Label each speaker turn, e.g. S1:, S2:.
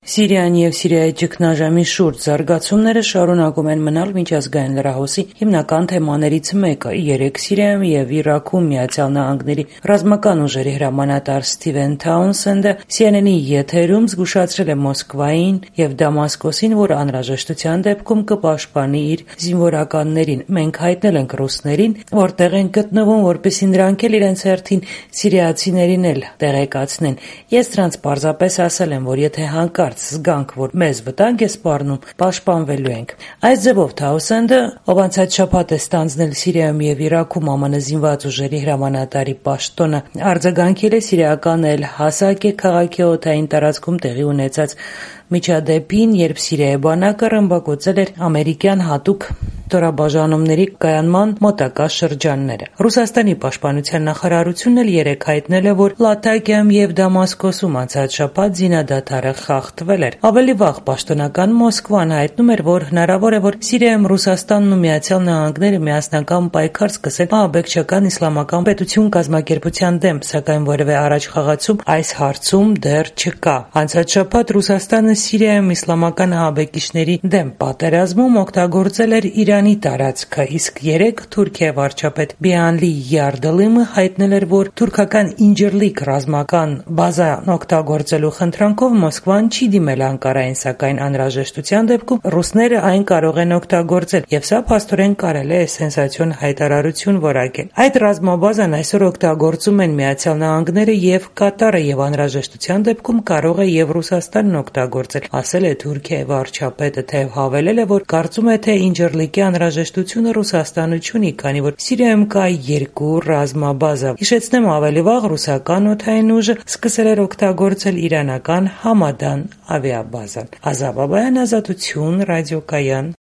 S1: Սիրիան եւ Սիրիայի ճգնաժամի շուրջ զարգացումները շարունակում են մնալ միջազգային լրահոսի հիմնական թեմաներից մեկը։ Երեկ Սիրիայում եւ Իրաքում ԱՄՆ ռազմական ուժերի հրամանատար Սթիվեն Թաունսենդը CNN-ի եթերում զգուշացրել է Մոսկվային եւ Դամասկոսին, որ անհրաժեշտության դեպքում կպաշտպանի իր զինվորականներին։ Մենք հայտնել ենք ռուսներին, որտեղ են գտնվում, որպեսզի նրանք էլ իրենց հերթին սիրիացիներին էլ տեղեկացնեն։ Ես նրանց պարզապես ասել եմ, որ եթե հանկարծ զգանք, որ մեզ վտանգ է սպառնում, պաշտպանվելու ենք։ Այս ձևով Թաունսենդը, ով անցած շաբաթ է ստանձնել Սիրիայում եւ Իրաքում ԱՄՆ զինված ուժերի հրամանատարի պաշտոնը, արձագանքել է սիրիական Էլ-Հասակե քաղաքի օդային տարածքում տեղի ունեցած միջադեպին, երբ Սիրիայի բանակը ռմբակոծել էր ամերիկյան հատուկ ստորաբաժանումների կայանման մոտակա շրջանները։ Ռուսաստանի պաշտպանության նախարարությունն էլ երեկ հայտնել է, որ Լաթակիայում եւ Դամասկոսում անցած շաբաթ զինադադարը խախտվել էր։ Ավելի վաղ պաշտոնական Մոսկվան հայտնում էր, որ հնարավոր է, որ Սիրիայում Ռուսաստանն ու ԱՄՆ-ը միասնական պայքար սկսեն ահաբեկչական իսլամական պետություն կազմակերպության դեմ, սակայն որևէ առաջխաղացում այս հարցում դեռ չկա։ Անցած շաբաթ Ռուսաստանը Սիրիայում իսլամական ահաբեկիչների դեմ պատերազմում օգտագործել էր Իրանի տարածքը, իսկ երեկ Թուրքիայի վարչապետ Բիանլի Յարդլիմը հայտնել էր, որ թուրքական Ինջիրլիկ ռազմական բազան օգտագործելու խնդրանքով Մոսկվան չի դիմել Անկարային, սակայն անհրաժեշտության դեպքում ռուսները այն կարող են օգտագործել, եւ սա փաստորեն կարելի է սենսացիոն հայտարարություն որակել։ Այդ ռազմաբազան այսօր օգտագործում են ԱՄՆ-ը եւ Կատարը, եւ անհրաժեշտության դեպքում կարող է եւ Ռուսաստանն օգտագործել, ասել է Թուրքիայի վարչապետը, թեև հավելել է, որ կարծում է, թե Ինջիրլիկի անհրաժեշտությունը Ռուսաստանը չունի, քանի որ Սիրիայում կա 2 ռազմաբազա։ Հիշեցնեմ, ավելի վաղ ռուսական օդային ուժը սկսել էր օգտագործել իրանական Համադան ավիաբազան։ Ազատ Բաբայան, Ազատություն, ռադիոկայան։